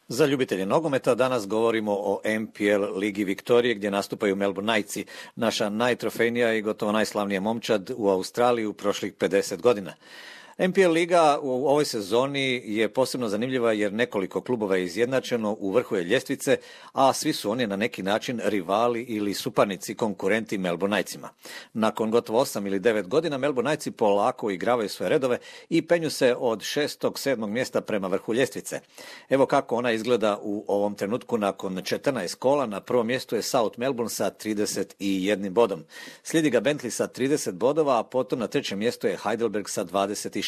Za ljubitelje nogometa danas govorimo o MPL Ligi Viktorije gdje nastupaju Melbourne Knightsi, naša najtrofejnija i gotovo najslavnija momčad u Australiji u prošlih 50 godina. MPL Liga u ovoj sezoni je posebno zanimljiva jer nekoliko klubova je izjednačeno, u vrhu je ljestvice, a svi su oni na neki način rivali ili suparnici, konkurenti Melbourne Knightsima. Nakon gotovo 8 ili 9 godina Melbourne Knightsi polako igravaju svoje redove i penju se od 6. 7. mjesta prema vrhu ljestvice. Evo kako ona izgleda u ovom trenutku nakon 14 kola. Na prvom mjestu je South Melbourne sa 31 bodom. Slijedi ga Bentley sa 30 bodova, a potom na trećem mjestu je Heidelberg sa 26.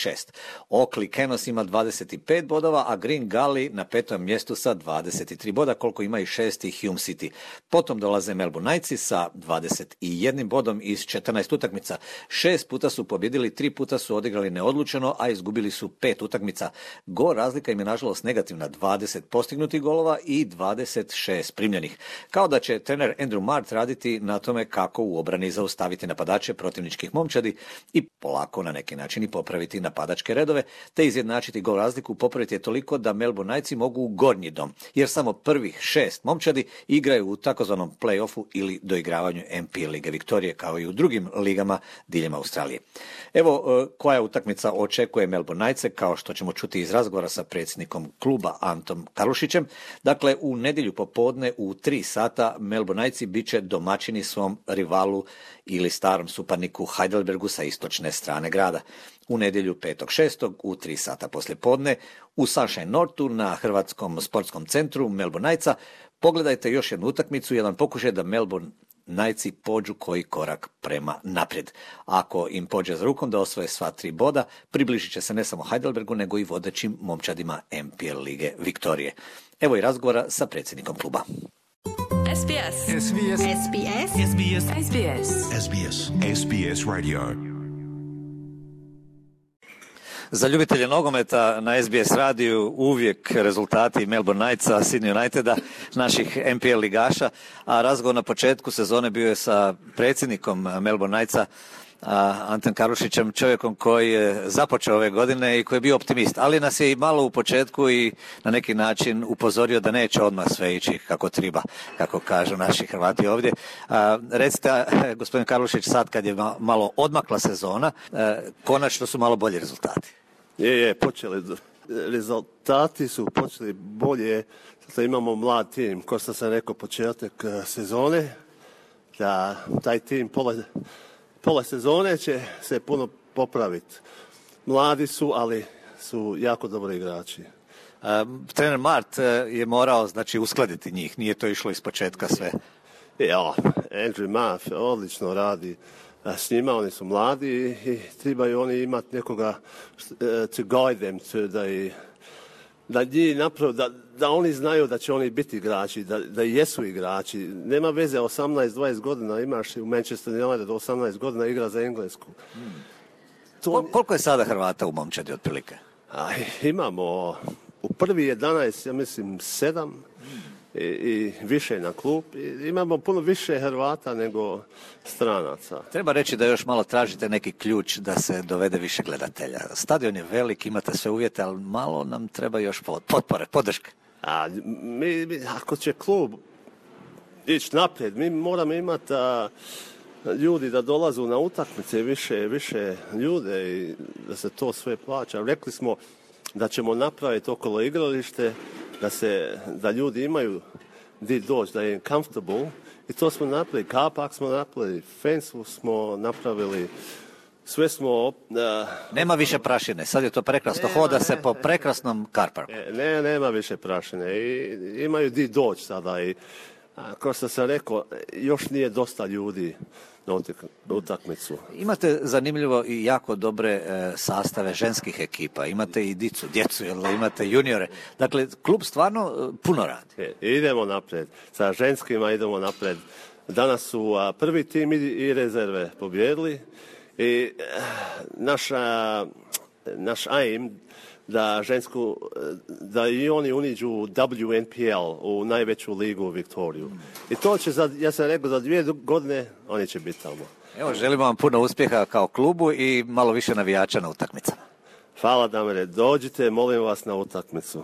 Oakley Canos ima 25 bodova, a Green Gully na petom mjestu sa 23 boda, koliko ima i šesti Hume City. Potom dolaze Melbourne Knightsi sa 21 bodom iz 14 utakmica. 6 puta su pobjedili, 3 puta su odigrali neodlučeno, a izgubili su 5 utakmica. Gol razlika im je nažalost negativna, 20 postignutih golova i 26 primljenih. Kao da će trener Andrew Mart raditi na tome kako u obrani zaustaviti napadače protivničkih momčadi i polako na neki način i popraviti napadačke redove, te izjednačiti gol razliku. Popraviti je toliko da Melbourne Knightsi mogu u gornji dom, jer samo prvih 6 momčadi igraju u takozvanom play-offu ili doigravanju MPL Lige Viktorije, kao i u drugim ligama diljem Australije. Evo koja utakmica očekuje Melbourne Knightse, kao što ćemo čuti iz razgovora sa predsjednikom kluba Antom Karlušićem. Dakle, u nedjelju popodne u 3 sata Melbourne Knightsi bit će domaćini svom rivalu ili starom suparniku Heidelbergu sa istočne strane grada. U nedjelju 5.6. u 3 sata poslijepodne u Sunshine Northu na Hrvatskom sportskom centru Melbourne Knightsa pogledajte još jednu utakmicu, jedan pokušaj da Melbourne Knightsi pođu koji korak prema naprijed. Ako im pođe za rukom da osvoje sva 3 boda, približit će se ne samo Heidelbergu, nego i vodećim momčadima MPL Lige Viktorije. Evo i razgovora sa predsjednikom kluba. SBS. SBS. SBS. SBS. SBS. SBS. SBS Radio. Za ljubitelje nogometa na SBS radiju uvijek rezultati Melbourne Knightsa, Sydney Uniteda, naših MPL ligaša, a razgovor na početku sezone bio je sa predsjednikom Melbourne Knightsa, Antom Karlušićem, čovjekom koji je započeo ove godine i koji je bio optimist, ali nas je i malo u početku i na neki način upozorio da neće odmah sve ići kako treba, kako kažu naši Hrvati ovdje. Recite, gospodin Karlušić, sad kad je malo odmakla sezona, konačno su malo bolji rezultati. Počeli. Rezultati su počeli bolje, sad imamo mlad tim, kao što sam rekao početak sezone, da taj tim pola sezone će se puno popraviti. Mladi su, ali su jako dobri igrači. Trener Mart je morao, znači, uskladiti njih, nije to išlo iz početka sve. Andrew Mart odlično radi s njima, oni su mladi i trebaju oni imati nekoga to guide them, da njih napravo, da oni znaju da će oni biti igrači, da jesu igrači. Nema veze, 18-20 godina imaš u Manchester United, 18 godina igra za Englesku. Koliko je sada Hrvata u momčadi otprilike? Imamo u prvi 11, ja mislim 7 i više na klub. Imamo puno više Hrvata nego stranaca. Treba reći da još malo tražite neki ključ da se dovede više gledatelja. Stadion je velik, imate sve uvjete, ali malo nam treba još potpore, podrške. Ako će klub ići naprijed, mi moramo imati ljudi da dolazu na utakmice, više ljude i da se to sve plaća. Rekli smo da ćemo napraviti okolo igralište, da ljudi imaju gdje doći, da je comfortable, i to smo napravili. Car park smo napravili, fence smo napravili, sve smo... Nema više prašine, sad je to prekrasno, hoda se po prekrasnom car parku. Nema više prašine i imaju gdje doći sada i kao što sam rekao, još nije dosta ljudi na utakmicu. Imate zanimljivo i jako dobre sastave ženskih ekipa, imate i djecu, imate juniore. Dakle, klub stvarno puno radi. Idemo naprijed. Sa ženskima idemo naprijed. Danas su prvi tim i rezerve pobjedili i naš aim da i oni uniđu WNPL u najveću ligu u Viktoriju. I to će, ja sam rekao, za 2 godine oni će biti tamo. Evo, želimo vam puno uspjeha kao klubu i malo više navijača na utakmicama. Hvala, Damire. Dođite, molim vas, na utakmicu.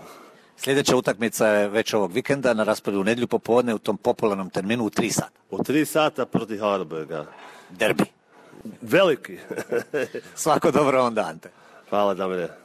Sljedeća utakmica je već ovog vikenda na rasporedu u nedjelju popodne u tom popularnom terminu u 3 sata. U 3 sata protiv Harburga. Derbi. Veliki. Svako dobro onda, Ante. Hvala, Damire.